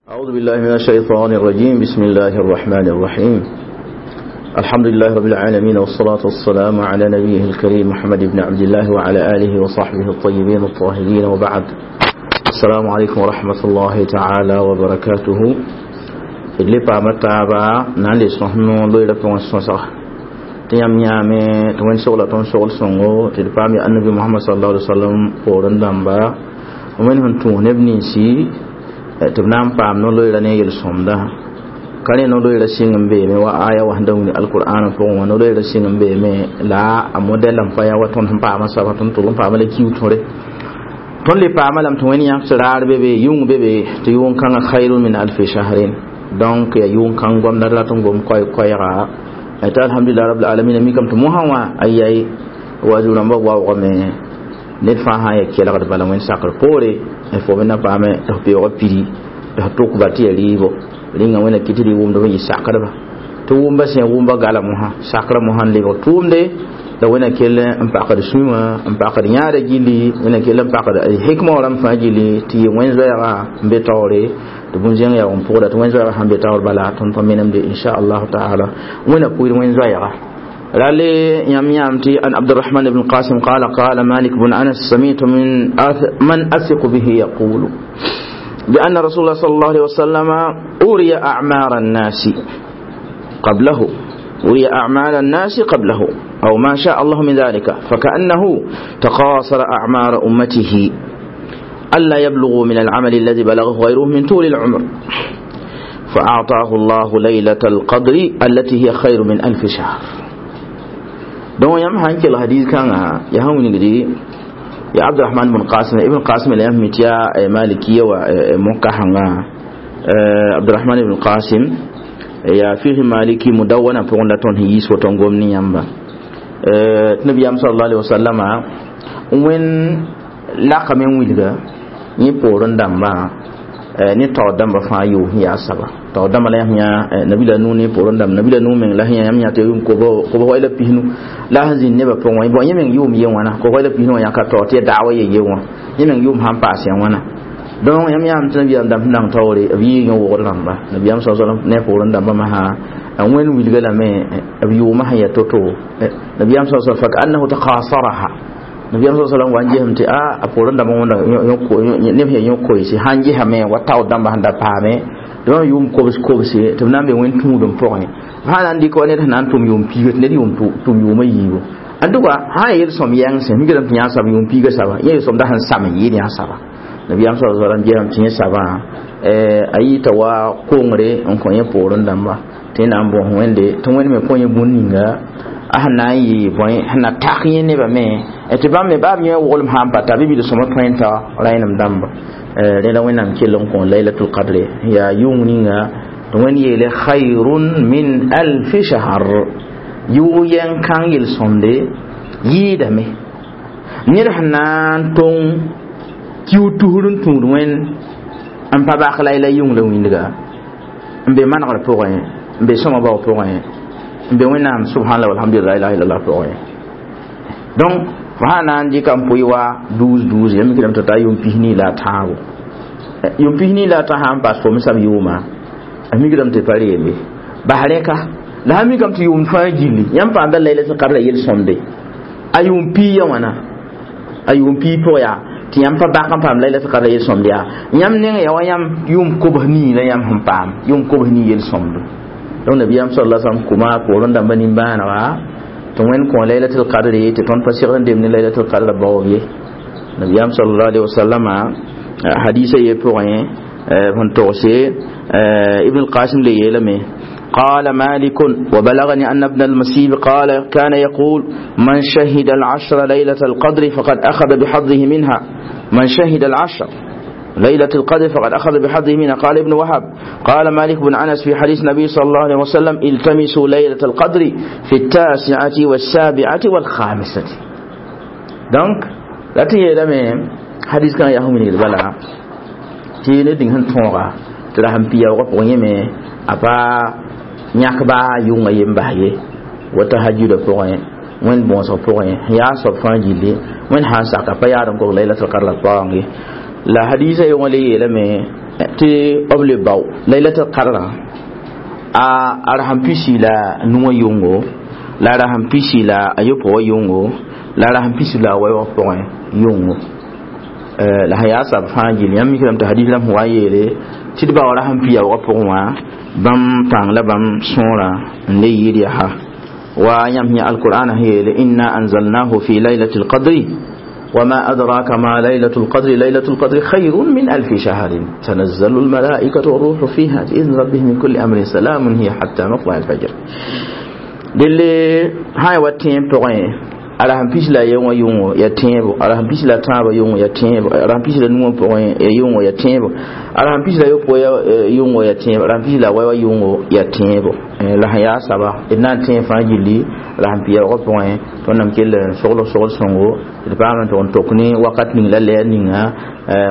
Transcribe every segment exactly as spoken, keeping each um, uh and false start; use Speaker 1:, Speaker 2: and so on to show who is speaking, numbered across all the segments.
Speaker 1: أعوذ بالله من الشيطان الرجيم. بسم الله الرحمن الرحيم. الحمد لله رب العالمين، والصلاة والسلام على نبيه الكريم محمد بن عبد الله وعلى آله وصحبه الطيبين الطاهرين، وبعد. السلام عليكم ورحمة الله تعالى وبركاته. اللي بامتابا نالي سنو لويلة بوان tɩ yãmb yãame tɩ wẽnd sogla tõnd sogl sõngo tɩ d paam ya annabi Mohamad sallallahu alaihi wasallam poorẽ dãmba wẽnd sẽn tũus neb ninsi tɩ b na n paam no-loeera ne yel-sõmda ka rẽ no-loeera sɩng n beeme wa aya wa sẽn da wilg alqur'an pʋgẽ wã no-loeera sɩng n beeme la a modɛl n pa ya wa tõnd sẽn paama soaba tõnd tʋg n paama la kiu tõre tõnd le paama lame tɩ wẽnd yãks raar be be yʋng be be tɩ yʋng kãngã khairun min alfi shahrin donc ya yʋng kãng goamda rat n gom koɛɛga tɩ alhamdulillah rabbil alamin mikame tɩ mosã wã ayai wa zu-rãmbã waoogame ned fãa sã n ya kelgd bala wẽnd sakr poore fo me na paame tɩ f beoogã pidi tɩ f tʋkba tɩ ya rɩɩbo rĩnga wẽnna kɩ tɩ rɩ wʋmd f n yɩ sakdba tɩ wʋmba sẽn wʋmba gala mosã sakrã mosã n lebg tʋʋmde la wẽnna kell n pakd sũwã n pakd yãada gilli wẽnna kell n pakd hikma wã rãmb fãa gilli tɩ yɩ wẽn zoɛɛga n be taoore tɩ bũn-zẽng yaa n pʋgda tɩ wẽn zoɛɛga sãn be taoor bala tõnd pa menemde inchallah taala wẽnna pʋɩd wẽn zoɛɛga رالي يم يامتي أن عبد الرحمن بن القاسم قال قال مالك بن أنس سمعت من أث من أثق به يقول بأن رسول الله صلى الله عليه وسلم أري أعمار الناس قبله أري أعمال الناس قبله أو ما شاء الله من ذلك فكأنه تقاصر أعمار أمته ألا يبلغوا من العمل الذي بلغه غيره من طول العمر فأعطاه الله ليلة القدر التي هي خير من ألف شهر. دون يم هانك الحديث كان يا هم نجدي يا عبد الرحمن بن قاسم ابن قاسم اللي يهم تيا مالكية ومكحنا عبد الرحمن بن قاسم يا فيه مالكي مدونة فقلنا تون هيس وتنقوم نيامبا النبي صلى الله عليه وسلم وين laka me wilga yẽ poorẽ dãmbã ne taoor dãmbã fãa yʋʋs n yaa saba taoor dãmbã la yãmb yã nabila nu ne poorẽ dãmb nabila nu meng la sẽn yãmb yã tɩ yʋʋm kobs la pisnu la sẽn zĩnd nebã pʋgẽ bõ yẽ meng yʋʋm ye wãna kobs la pisnu wã yãka taoor tɩ ya daawa ye ye wã yẽ meng yʋʋm sãn paas ya wãna donc yãmb yãam tɩ nabiyaam dãmb sẽn dang taoore b yɩɩ yõ-wogd rãmba nabiyaam sa sallam ne poorẽ dãmbã masã wẽnd wilga lame b yʋʋmã sẽn ya to-to nabiyaam sa sallam fakaannahu taqasaraha nabiyaam sa sallam wa n gesem tɩ a a poorẽ dãmbã wẽnda neb sẽn yõ koeese sãn gesame wa taoor dãmbã sẽn da paame tɩ bãmb yʋʋm kobs kobse tɩ b na n be wẽnd tũudem pʋgẽ sã na n dɩk wa ned sẽn na n tʋm yʋʋm piiga tɩ ned yʋʋm tʋm yʋʋmã yiibu en tout cas sã n yel-sõm yɛng sẽn mikdame tɩ yã sab yʋʋm piiga saba yẽ yel-sõm da sẽn sam n yɩɩd yã saba nabiyaam sa sallam gesame tɩ yẽ sabã a yɩɩta wa kongre n kõ yẽ poorẽ dãmba tɩ yẽ na n bõs wẽnde tɩ wẽnd me kõ yẽ bũn ninga a sẽn na n yɩ bõe sẽn na tak yẽ nebã me tɩ bãmb me baa b yẽ woglem sã n pa ta bɩ bil-sõma tõe n ta rẽenem dãmba rẽ la wẽnnaam kell n kõ laylatul qadre yaa yʋng ninga tɩ wẽnd yeele khayrun min alfi shahr yʋʋg yɛng kãng yel-sõmde yɩɩdame ned sẽn na n tõng kiu tusr n tũud wẽnd n pa bak la la yʋng la wĩndga n be manegr pʋgẽ n be sõma bao pʋgẽ n be wẽnnaam subhanallah walhamdulillah la ilaha illallah pʋgẽ donc fo sã na n dɩka n pʋɩ wa douze douze yãmb mikdame tɩ ta yʋʋm pis-nii la a tãabo yʋʋm pis-nii la a tã sã n paas fo me sab yʋʋma a mikdame tɩ pa reembe bas rẽka la sã mikame tɩ yʋʋmd fãa gilli yãmb paamda laylatul qadr la yel-sõmde a yʋʋm pii ya wãna a yʋʋm pii pʋg yaa tɩ yãmb pa bak n paam laylatul qadr la yel-sõmde yaa yãmb neng ya wa yãmb yʋʋm kobs nii la yãmb sẽn paam yʋʋm kobs nii yel-sõmdo donc nabiyaam sallallahu alaihi wasallam kuma poorẽ dãmba nimbãanega tɩ wẽnd kõ laylatul qadr tɩ tõnd pa segd n demd ne laylatul qadr baoob ye nabiyaam sallallahu alaihi wasallama hadisa ye pʋgẽ sẽn togse ibn al-qasim le yeelame قال مالك وبلغني أن ابن المسيب قال كان يقول من شهد العشر ليلة القدر فقد أخذ بحظه منها من شهد العشر ليلة القدر فقد أخذ بحظه منها. قال ابن وهب قال مالك بن أنس في حديث النبي صلى الله عليه وسلم التمسوا ليلة القدر في التاسعة والسابعة والخامسة. Donc la tɩ yeelame hadis kãng yaa sẽn wilgd bala tɩ ne dĩng sẽn tõoga tɩ ra sẽn pia-waoogã pʋgẽ yẽme a pa yãk baa yʋngã yem bas ye wa tahajjuda pʋgẽ wẽnd bõosg pʋgẽ yaa soab fãa gilli wẽnd sã n saka pa yaad n kog laylatul qadr la paoong ye la hadisa yʋngã le yeelame Tɩ b le bao laylatul qadrã a rasẽn pisi la nuwã yʋngo la a rasẽn pisi la a yopoe wã yʋngo la a rasẽn pisi la a wɛɛgã pʋgẽ yʋngo la sẽn yaa sab fãa gill yãmb mikame tɩ hadis rãmb sẽn wa n yeele tɩ d bao rasẽn pi yaoogã pʋgẽ wã bãmb pãng la bãmb sõora n le yɩɩd yaa wa yãmb yã alqur'an sẽn yeele inna anzalnahu fi laylati lqadri وما أدراك ما ليلة القدر ليلة القدر خير من ألف شهر تنزل الملائكة والروح فيها بإذن ربهم من كل أمر سلام هي حتى مطلع الفجر دل هاي واتين بغين ala sẽn pis la ye wã yʋngo ya tẽebo ala sẽn pis la tãabã yʋngo ya tẽebo ala sẽn pis la nuwã pʋgẽ ya yʋngo ya tẽebo ala sẽn pis la yopoe yʋngo ya tẽebo ala sẽn pis la wɛwã yʋngo ya tẽebo la sẽn yaa saba d na n tẽeg fãa gilli la sẽn pi yaoogã pʋgẽ tõnd kell n sogl sogl sõngo d paam n tʋg n tok ne wakat ning la lɛɛr ninga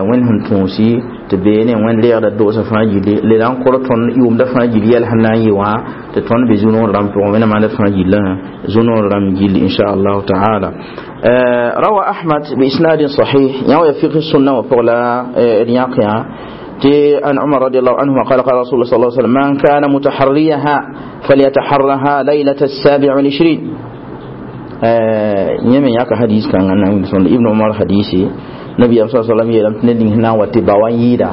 Speaker 1: wẽnd sẽn tũusi tɩ beene wẽnd reegda doosã fãa gilli le na n kor tõnd yʋʋmda fãa gill yɛl sẽn na n yɩ wã tɩ tõnd be zu-noor rãmb pʋgẽ wẽnnaam maanda fãa gillã zu-noor rãmb gilli inchallahu taala. روى أحمد بإسناد صحيح يوم فقه السنة وفغلا رياقيا عن عمر رضي الله عنه قال قال رسول الله صلى الله عليه وسلم من كان متحريها فليتحرها ليلة السابع والعشرين. يمن ياك حديث كان ابن عمر حديثي نبي صلى الله عليه وسلم يلم تندين هنا وتباوان يدا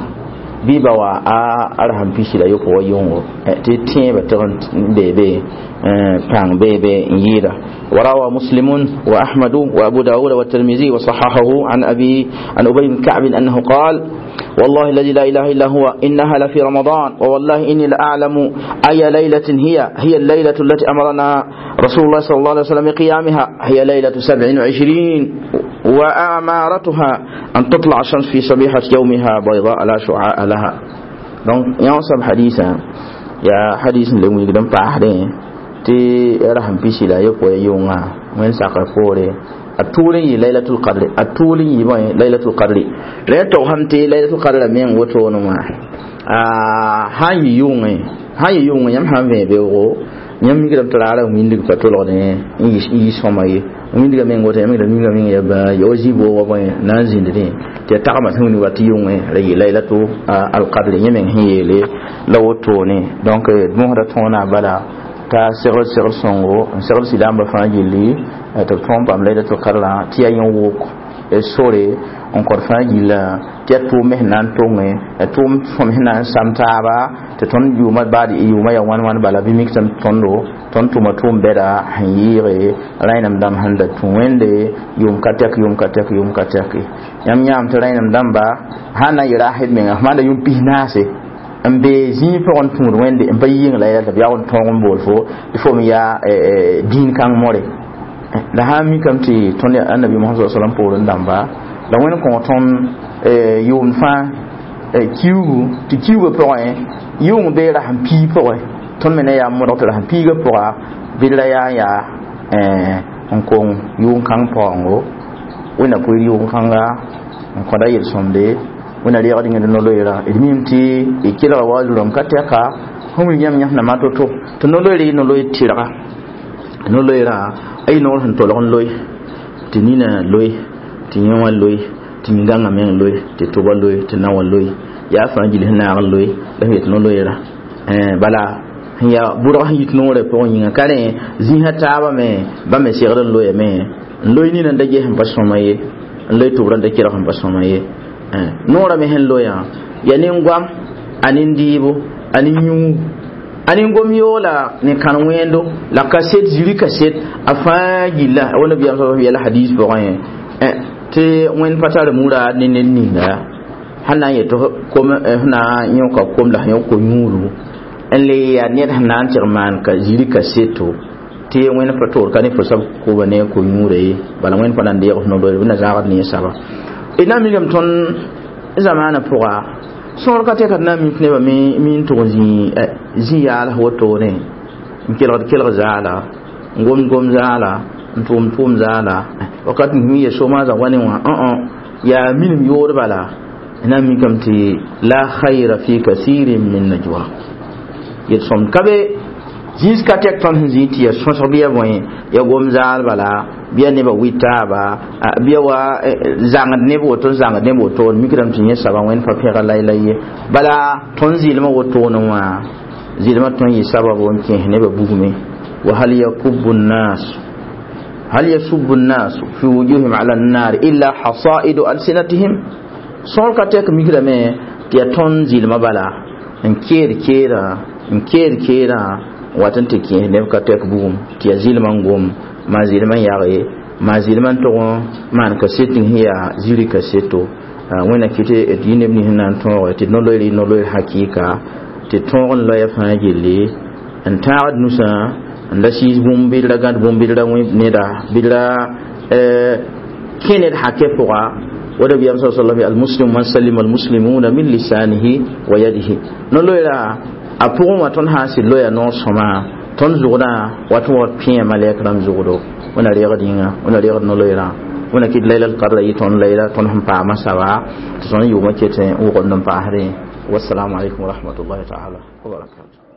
Speaker 1: bɩ ba wa a rasẽn pisi la yopoe wã yʋngo tɩ tẽebã tɩg n beebe pãng beebe n yɩɩda. وروى مسلم وأحمد وأبو داود والترمذي وصححه عن أبي عن أبي بن كعب أنه قال والله الذي لا إله إلا هو إنها لفي رمضان ووالله إني لأعلم أي ليلة هي هي الليلة التي أمرنا رسول الله صلى الله عليه وسلم بقيامها هي ليلة سبع وعشرين وأمارتها أن تطلع الشمس في صبيحة يومها بيضاء لا شعاع لها. Donc yãsab hadisa ya hadis n le wilgd n paasdẽ tɩ rasẽn pisi la yopoe yʋnga wẽnd sakr poore a tʋʋl n yɩ laylatul qadri a tʋʋl n yɩ bõe laylatul qadri la ya togsame tɩ laylatul qadra meng wotone wã a sãn yɩ yʋngẽ sãn yɩ yʋngẽ yãmb sãn vẽ beoogo yãmb mikdame tɩ raara wĩndg pa tolgdẽ n yɩ sõma ye wĩndgã meng woto yãmb mikdame wĩndgã meng ya bã ya wa zĩ-boogã bõe na n zĩndrẽ tɩ ya tagma sẽn wĩndg wa tɩ yʋngẽ ra yɩ laylatu alqadri yẽ meng sẽn yeele la wotone. Donc d mosda tõona bala t'a segl segl sõngo n segl silaambã fãa gilli tɩ b tõog n paam laylatul qadrã tɩ yaa yẽ wok sore n kõt fãa gilla tɩ yaa tʋʋm me sẽn na n tonge ya tʋʋm sõm sẽn na n sam taaba tɩ tõnd yʋʋma baad yʋʋma yaa wãn wãn bala bɩ mik tɩ tõndo tõnd tʋma tʋʋm bɛda sẽn yɩɩge rẽnem dãmb sẽn da tũ wẽnde yʋʋm ka tɛk yʋʋm ka tɛk yʋʋm ka tɛke yãmb yãam tɩ rẽnem dãmba sãn na n yɩ rasd menga f maanda yʋʋm pis-naase n be zĩig pʋgẽ tũud wẽnde n pa yɩng la yɛl tɩ b yag n tõog n bool fo tɩ fo me yaa dĩin kãng more la sã n mikame tɩ tõnd annabi mohamad sa sallam poorẽ dãmba la wẽnd kõ tõnd yʋʋmd fãa kiugu tɩ kiugã pʋgẽ yʋng bee rasẽn pii pʋgẽ tõnd me na yaa modg tɩ rasẽn piigã pʋga bɩ d ra yaa n yaa n kong yʋʋn-kãng paoongo wẽnna pʋɩr yʋʋn-kãnga n kõda yel-sõmde wẽnna reegd yẽd no-loeera d mim tɩ y kelga wa zurãmb ka tɛka sẽn wilg yãmb yãsna ma to-to tɩ no-loeera yɩ no-loeer tɩrga no-loeera a yɩ noor sẽn tolg n loe tɩ nina loe tɩ yẽ wã loe tɩ yĩngãngã meng loe tɩ tʋba loe tɩ na wã loe yaa fãa gill sẽn naag n loe la sẽn yet no-loeera bala sẽn yaa bʋdg sẽn yit noorã pʋgẽ yĩnga ka rẽ zĩisã taabã me bãmb me segd n loyame n loe nina n da ges sẽn pa sõma ye n loe tʋbrã n da kelg sẽn pa sõma ye noorã me sẽn loyã ya nin-goam a nin-dɩɩbo a nin-yũugu a nin-gom yoola ne kãn-wẽendo la kaset ziri kaset a fãa gilla wa nabiyaam sa yɛla hadis pʋgẽ tɩ wẽnd pa tar mura ne ned ninga sẽn na n yet kom sẽn na n yõka kom la sẽn yõk ko-yũudu n le yaa ned sẽn na n tɩg maan ka ziri kaseto tɩ wẽnd pa toor ka ne fo sab koba ne ko-yũuda ye bala wẽnd pa na n deeg f no-loeer bɩ na zãagd ne saba d na n mikame tõnd zamaanã pʋga sõor ka tɛka d na n mik nebã me n tʋg zĩ yaals wotone n kelgd kelg zaala n gomd gom zaala n tʋʋm tʋʋm zaala wakat mi ya soma za wani wã õ yaa minim yood bala na n mikame tɩ la khayra fi kasirin min najwa yel-sõmd ka be zĩis ka tɛk tõnd sẽn zĩ tɩ ya sõsg bɩ ya bõe ya gom zaal bala bɩa nebã wɩ taaba bɩa wa zãngd neb woto n zãngd neb woto mikrame tɩ yẽ saba wẽnd pa pẽga layla ye bala tõnd zɩlmã wotone wã zɩlmã tõe n yɩ sababu n kẽes nebã bugme wa hal yakubu nnas hal yasubu nnas fi wujuhim ala nnar illa hasaidu alsinatihim sõor ka tɛk mikrame tɩ yaa tõnd zɩlmã bala n keed keerã n keed keerã wat n tɩ kẽes neb ka tɛk bugum tɩ yaa zɩlmã n gom maa zɩlmã n yage maa zɩlmã n tʋg n maan kaset ning sẽn yaa ziri kaseto wẽnna kɩ tɩ d yɩ neb nins sẽn na n tõoge tɩ no-loeer yɩ no-loeer hakɩɩka tɩ tõog n loya fãa gilli n tãagd nusã n la sɩɩs bũmb bɩ d ra gãd bũmb bɩ d ra wẽ neda bɩ d ra kẽ ned hakɛ pʋga ونبي صلى الله عليه وسلم المسلم من سلم المسلمون من لسانه ويده نلويرا a pʋgẽ wã tõnd sã n sɩd loya noor sõma tõnd zʋgdã wat n wa pẽe malɛk rãmb zʋgdo wẽna reegd yĩnga wẽna reegd no-loeerã wẽna kɩt layla l-qadra yɩ tõnd layla tõnd sẽn paama saba tɩ tõnd yʋʋmã ket n wʋgend n paasdẽ wassalamu alaikum warahmatullahi taala wabarakatuh.